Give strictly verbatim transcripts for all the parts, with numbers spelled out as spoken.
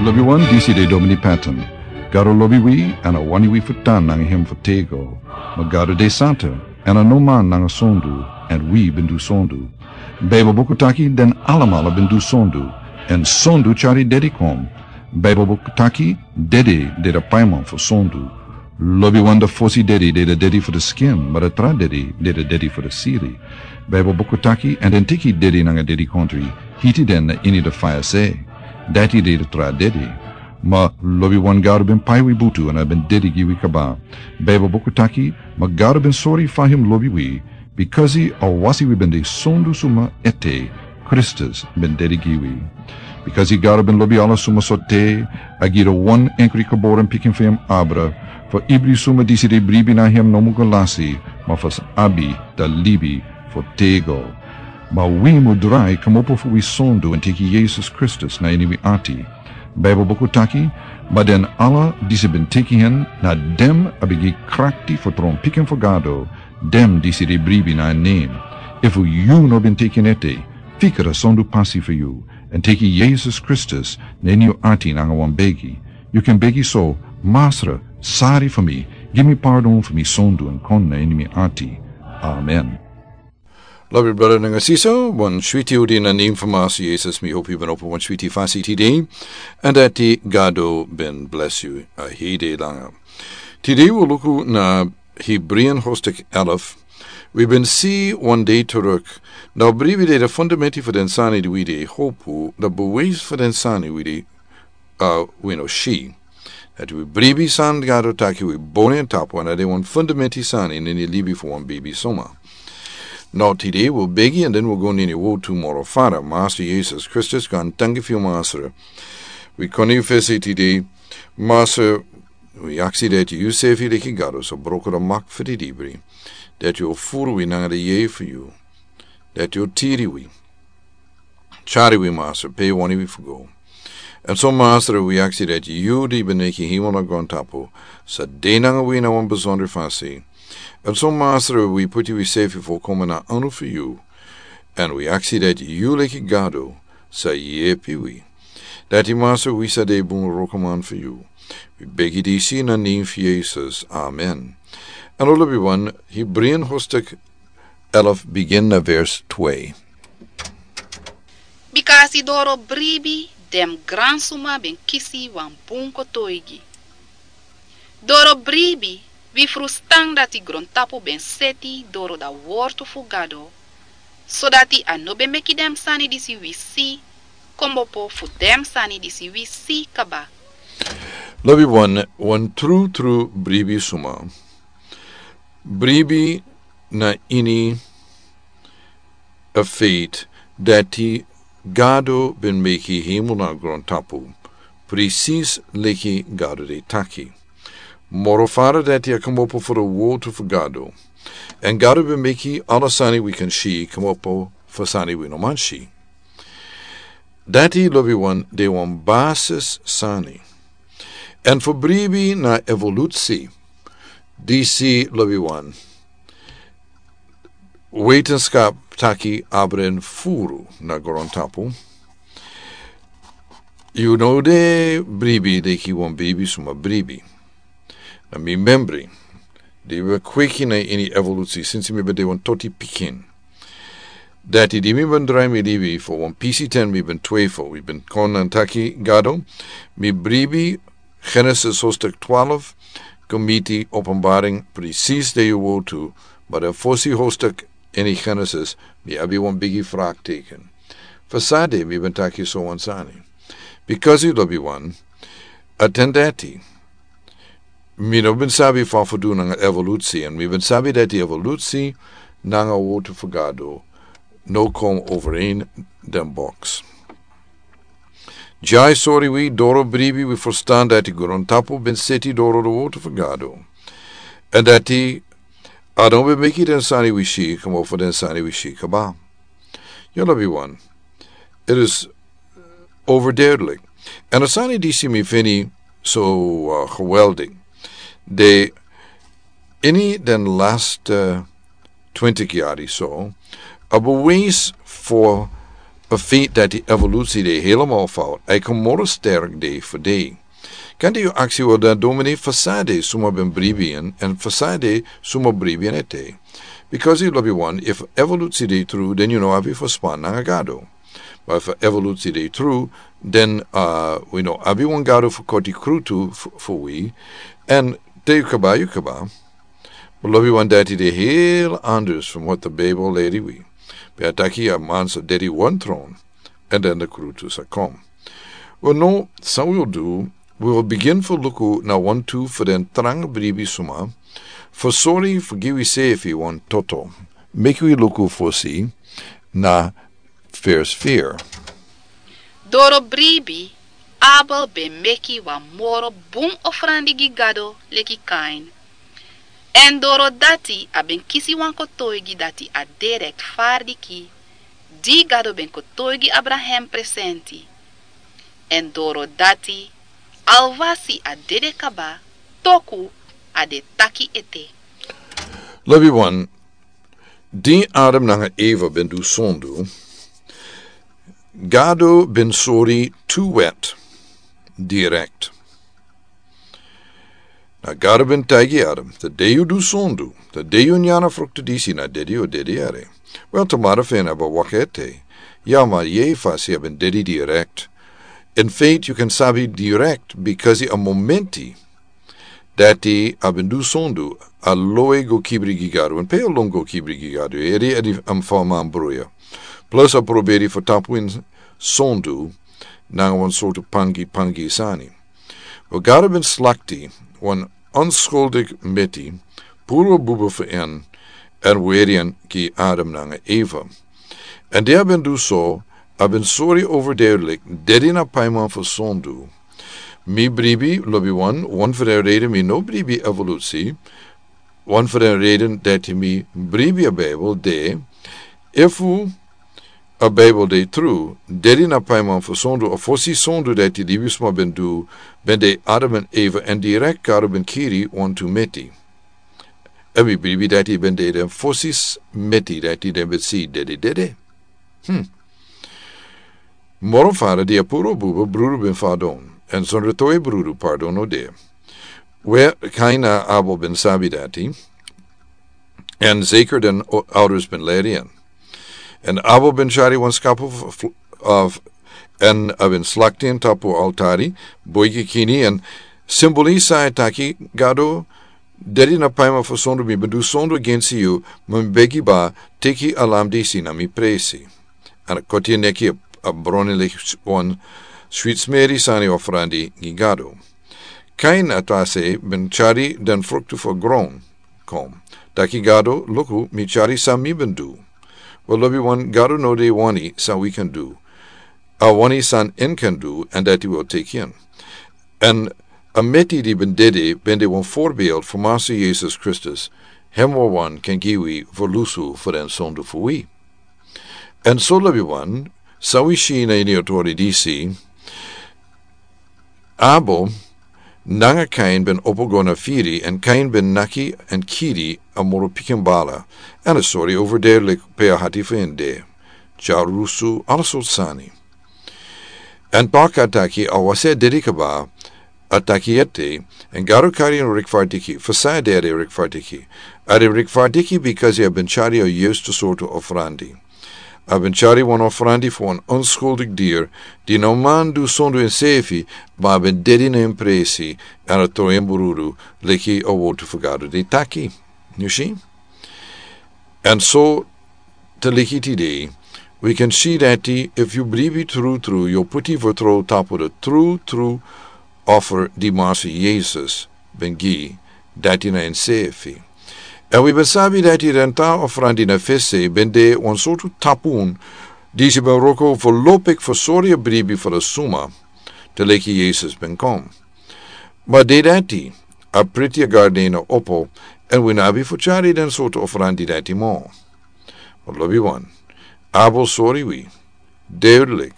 Lobi wan, disi de Domini Patton. Gado lobi wi, èn a wani wi fu tan nanga hem fu tego. Ma Gado de santa, èn a no man nanga sondu, èn wi ben du sondu. Baibel buku taki den alamala ben du sondu, èn sondu tyari dedi kon. Baibel buku taki dedi de da paiman fu sondu. Lobi wan, da fosi dedi de da dedi fu da skin, ma da tra dedi de da dedi fu da siri. Baibel buku taki, èn den teki dedi nanga dedi kontri, hiti den na ini da faya se. Dati de da tra dedi. Ma lobi wan, Gado ben pai wi butu èn a ben dedi gi wi kaba. Baibel buku taki, ma Gado ben sori fa hem lobi wi, bikasi a wasi wi ben de sondu suma ete, Kristus ben dedi gi wi. Bikasi Gado ben lobi ala suma so te, a gi da wan enkri geboren pikin fu hem abra, fu ibri suma disi de bribi na hem no mu go lasi, ma fu sa abi da libi fu tego. Ma wi mu drai kmopo fu wi sondu èn teki Yesus Kristus na ini wi ati. Baibel buku taki, ma den ala disi ben teki hen, na dem a ben gi krakti fu tron pikin fu Gado, dem disi de bribi na en nen. Efu yu no ben teki en ete, fika da sondu pasi fu yu, èn teki Yesus Kristus na ini yu ati nanga wan begi. Yu kan begi so: Masra, sari fu mi, gi mi pardon fu mi sondu èn kon na ini mi ati. Amen. Lobi brada nanga sisa, wan switi odi na nen fu Masra Yesus, mi hopi yu ben opo wan switi fasi tide, èn dati Gado ben bless yu a hei de langa. Tide wi luku na Hebreeën hoofdstuk elf. Wi ben si wan dei teruk, na bribi de da fundamenti fu den sani di wi de hopu, da bewijs fu den sani wi de, uh, wi no si. Dati wi bribi san Gado taki wi boni en tapu, èn a de wan fundamenti sani ini libi fu wan bribi suma. No, tide wi begi èn den wi go ini wotu moro fara. Masra Yesus Kristus, gaantangi fu yu Masra. Wi kon na yu fesi tide, Masra, wi aksi dati yu sefi leki Gado sa broko da mak fu di dibri. Dati yu furu wi nanga da yei fu yu. Dati yu tiri wi. Tyari wi Masra pe yu wani wi fu go. Èn so Masra, wi aksi dati yu di ben meki hemel nanga grontapu, sa de nanga wi na wan besondra fasi. Èn so Masra, wi puti wi sefi fu koma na anu fu yu. Èn wi aksi dati yu leki Gado sa yepi wi. Dati Masra, wi sa de bun wrokoman fu yu. Wi begi disi na nen fu Yesus. Amen. Èn lobi wan, Hebreeën hoofdstuk elf, begin na vers twee. Bikasi doro bribi den gransuma ben kisi wan bun kotoigi. Doro bribi wi frustan dati grontapu ben seti doro da wortu fu Gado, sodati a no ben meki den sani disi wi si kmopo fu den sani disi wi si kaba. Lobi wan, wan trutru bribi suma bribi na ini a faith dati Gado ben meki hemel nanga grontapu, presis leki Gado de taki. Moro fara dati a kmopo fu da wotu fu Gado. Èn Gado ben meki ala sani wi kan si kmopo fu sani wi no man si. Dati lobi wan, de wan basis sani. Èn fu bribi na evolusi, disi lobi wan, wetenskap taki abra en furu na grontapu. Yu no de bribi leki wan bribi suma bribi. Na mi membri, di ben kweki na ini evolusi sinsi mi ben de wan toti pikin. Dati di mi ben drai mi libi fu wan pisi ten mi ben twefel, mi ben kon èn taki Gado, mi bribi Genesis hoofdstuk twaalf, kon miti Openbaring presis de yu wotu, ma da fosi hoofdstuk ini Genesis, mi abi wan bigi vraagteken. Fu san de mi ben taki so wan sani? Bikasi lobi wan, a ten dati, mi no ben sabi fa fu du nanga evolusi, èn mi ben sabi dati evolusi nanga wotu fu Gado no kon overeen den box. Dya e sori wi doro bribi wi frustan dati grontapu ben seti doro da wotu fu Gado. Èn dati a no ben meki den sani wi si kmopo fu den sani wi si kaba. Yu lobi wan, it is overduidelijk. Èn a sani disi mi feni so, uh, geweldig. De ini den laste twintig yari so, a bewijs fu A feit dati evolusi de helemaal fout, a e kon moro sterk de fu de. Kan de yu aksi wel dan domini fasade suma ben bribi en en fasade suma bribi en ete? Because yu lobi wan, if evolusi de tru, then yu no abi fu span nanga gado. But if evolusi de tru, then uh, we no abi wan gado fu koti krutu fu we. En te yu kaba yu kaba. But lobi wan dati de heel anders from what the Bible lady we. Be ataki a man so dedi one throne. And then the krutu sa kom. Well, no, san we will do, we will begin for luku na one two for den tranga bribi suma. For sorry, forgive we say if you want toto. Make we luku for see na first fear. Doro bribi, Abel ben meki wan moro bun ofrandi gi Gado leki Kain. En doro dati a ben kisi wan kotoigi dati a de rektfardiki, di Gado ben kotoigi Abraham presenti. En doro dati alwasi a dede kaba, toku a de taki ete. Lobi wan, di Adam nanga Eva ben du sondu, Gado ben sori tu wet direct. Na Gado ben taigi Adam, te de yu du sondu, te de yu nyana fruktu disi na dedi o dedi ere. Wel, tamara fen aba wakete. Ya ma ye fasi a ben dedi direct. In fact, you can sabi direct because a momenti dati a ben du sondu, a loe go kibri gi Gado, en pe a lon go kibri gi Gado, eri edi am fa man bruya. Plus a proberi fu tapu in sondu, nanga wan sortu pangi pangi sani. We Gado ben slakti, wan onskuldik meti, puru bubu fu en, en weri en gi Adam nanga Eva. En di a ben du so, a ben sori overduidelijk, dedi na paiman fu sondu. Mi bribi, lobi wan, wan fu den reden mi no bribi evolusi, wan fu den reden dati mi bribi a Bijbel de, efu a Bijbel de tru, dedi na paiman fu sondu, a fosi sondu dati libisma ben du, ben de Adam en Eva, en direct Gado ben kiri wan tu meti. En mi bribi dati ben de den fosi meti dati den ben si dedi dede. Hmm. Moro fara di a puru bubu brudu ben fadon, en sondro toi brudu pardon no de. We Kain na Abel ben sabi dati, en zeker den o-, ouders ben leri en. En Abel ben chari wan skapu f-, f-, of, en a ben slakti en tapu altari, boigi kini, en simbolisa e taki, Gado, dedi na paima fu sondu mi ben du sondu agensi yu, ma mi begi ba, teki a lam disi na mi presi. An a koti en neki a, a broni leki wan swit smeri sani ofrandi gi Gado. Kain a tasi ben chari den fruktu fu a gron. Kom. Taki Gado, luku, mi chari san mi ben du. Wel lobi wan Gado no de wani san wi kan du. A wani san en kan du, an dati wi o teki en. An a meti di ben dede, ben de wan forbeeld fu Masa Yesus Kristus, hem wawan kan gi wi fu lusu fu den sondu fu wi. An so lobi wan, san wi si na ini a tori disi, Abel nanga Kain ben opo go na firi, an Kain ben naki an kiri a moro pikin bala, an a sori overduidelijk pe a hati fu en de. Dyarusu, ala sortu sani. An toki a taki, a wasi a dedi kaba, a taki ete, an Gado kari en rikfardiki, fu san a de a de rikfardiki. A de rikfardiki because a ben chari a yustu sortu ofrandi. A ben chari wan ofrandi fu wan onskuldik dier, di no man du sondu ensefi, ma a ben dedi na en presi, an a tron en brudu, leki a wotu fu Gado de taki. Yu si? An so, te leki tide, wi kan si dati, efu yu bribi tru tru, yu o puti vertrouw tapu de tru tru offer di Masa Yesus ben gi, dati na ensefi. An wi ben sabi dati den tra ofrandi na fesi ben de wan sortu tapun, disi ben wroko fu lopik fu sori a bribi fu den suma, te leki Yesus ben kon. Ma de dati, a priti a garden a opo, an wi no abi fu chari den sortu ofrandi dati mo. Ma lobi wan, Abel sori wi, duidelijk.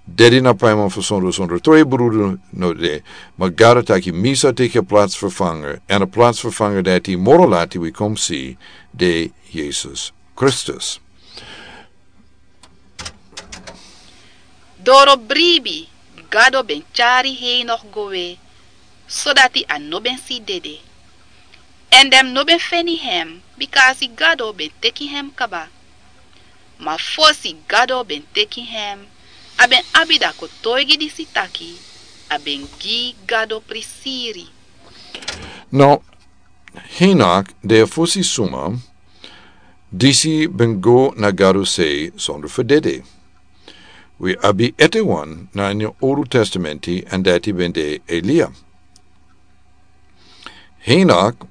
Dedi na paima fu sondu, sondu tron en brudu no de, ma Gado taki mi sa teki a plaatsvervanger, an a plaatsvervanger dati moro lati wi kon si de Yesus Kristus. Doro bribi Gado ben tyari Henok go we, sodati a no ben si dede. Èn den no ben feni hem, bika a si Gado ben teki hem kaba. Ma fosi Gado ben teki hem, a ben abi da kotoigi disi taki a ben gi Gado prisiri. Now, Henok de a fosi suma disi ben go na Gado sei sondro fu dede. Wi abi ete wan na ini Old Testamenti, èn dati ben de Elia. Henok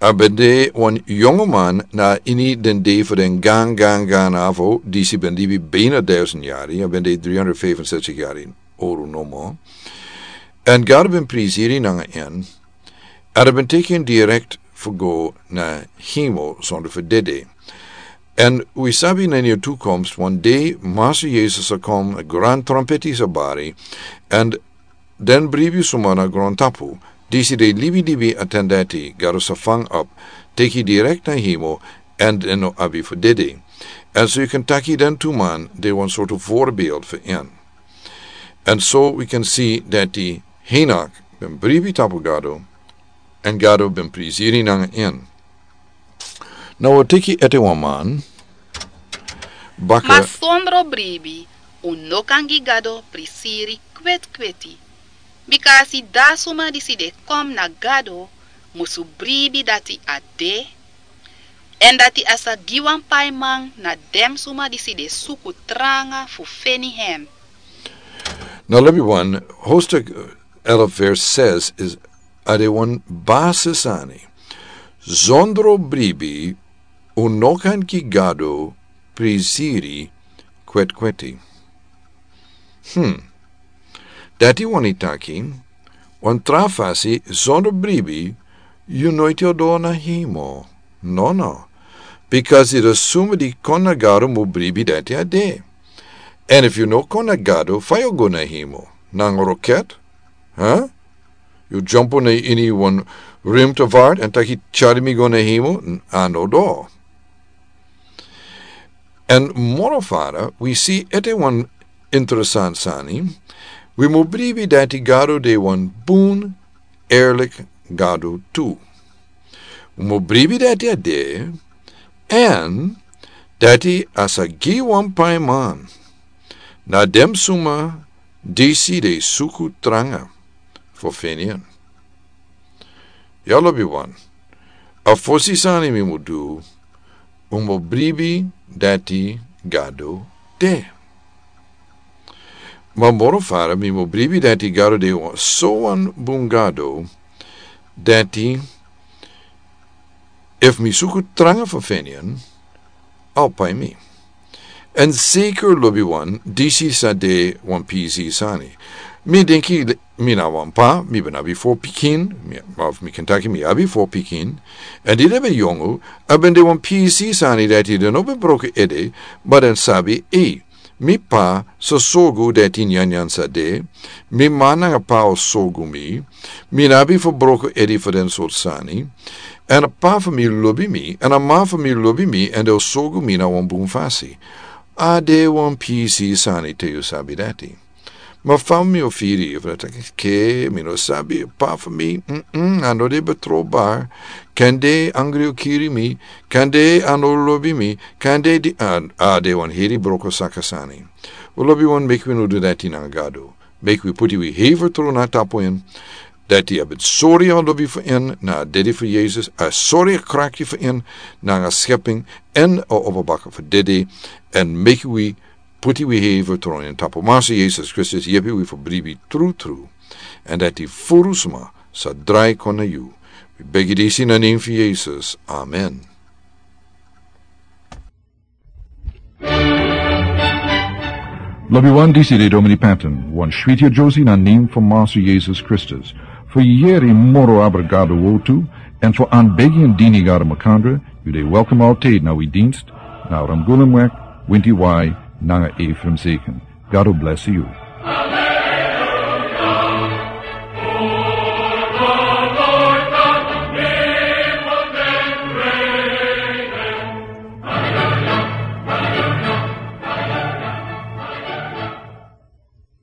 a ben de wan yongu man na ini den dei fu den gan gan gan avo disi ben libi bina duizend yari, a ben de driehonderdvijfenzestig yari oru nomo. Èn Gado ben prisiri nanga en, èn a ben teki en direkt fu go na hemel sondro fu dede. Èn wi sabi na ini a toekomst wan dei Master Yesus sa kom, a gran trompeti sa bari, èn den bribi suma na grontapu disi de libi libi a ten dati Gado sa fang op, teki direkt na hemel, èn den no abi fu dede. Èn so yu kan taki den tu man de wan sortu voorbeeld fu en. Èn so wi kan si dati Henok ben bribi tapu Gado, èn Gado ben prisiri nanga en. Now wi teki ete wan man baka. Ma sondro bribi un no kan gi Gado prisiri kwetkweti. Bika a si da suma disi de kom na Gado musu bribi dati a de, èn dati a sa gi wan paiman na den suma disi de suku tranga fu feni hem. Now lobi wan, hoofdstuk elf vers zes is a de wan basi sani. Sondro bribi un no kan gi Gado prisiri kwetkweti. Hmm. Dati wani taki wan tra fasi sondro bribi yu noiti o doro na hemel. No, no. Bikasi den suma di kon na Gado mu bribi dati a de. Èn efu yu no kon na Gado, fa yu o go na hemel? Nanga roket? Huh? Yu dyompo na ini wan ruimtevaart èn taki tyari mi go na hemel? A no doro. Èn moro fara wi si ete wan interesant sani. Wi mu bribi dati Gado de wan bun, eerlik Gado tu. Wi mu bribi dati a de, èn dati a sa gi wan paiman na den suma disi de suku tranga fu feni en. Ya lobi wan, a fosi sani mi mu du, un mu bribi dati Gado de. Ma moro fara mi mu bribi dati Gado de wan so wan bun Gado, dati efu mi suku tranga fu feni en, a o pai mi. Èn zeker lobi wan, disi sa de wan pisi sani. Mi denki mi na wan pa, mi ben abi fo pikin, mi, of mi kan taki mi abi fo pikin. Èn di den ben yongu, a ben de wan pisi sani dati den no ben broko ede, ma den sabi, ei, mi pa sa sorgu dati nyanyan sa de, mi ma nanga pa o sorgu mi, mi no abi fu broko ede fu den sortu sani. Èn a pa fu mi lobi mi, èn a ma fu mi lobi mi, èn den o sorgu mi na wan bun fasi. A de wan pisi sani te yu sabi dati. Ma fa mi o firi efu a taki ke mi no sabi pa fu mi, mm, a no de betrouwbaar. Kande angri o kiri mi, kande a no lobi mi, kande di, a, a de wan heri broko saka sani. Wi lobi wan, meki wi no du dati nanga Gado. Meki wi puti wi heri vertrouwen na tapu en. Dati a ben sori a lobi fu en na a dede fu Yesus, a sori a krakti fu en nanga a schepping, èn a opo baka fu dede, èn meki wi puti wi heri vertrouwen na tapu Master Yesus Kristus, yepi wi fu bribi trutru. Èn dati furu suma sa drai kon na yu. Wi begi disi na nen fu Yesus. Amen. Lobi wan, disi de Domini Patton, wan switi a Josie na nen fu Master Yesus Kristus. Fu yeri moro abra Gado wortu, èn fu anbegi èn dini Gado makandra, yu de welkom altijd na wi dienst, na Ramgulumweg, winti wai, nanga Ephraim Zeken. Gado bless yu.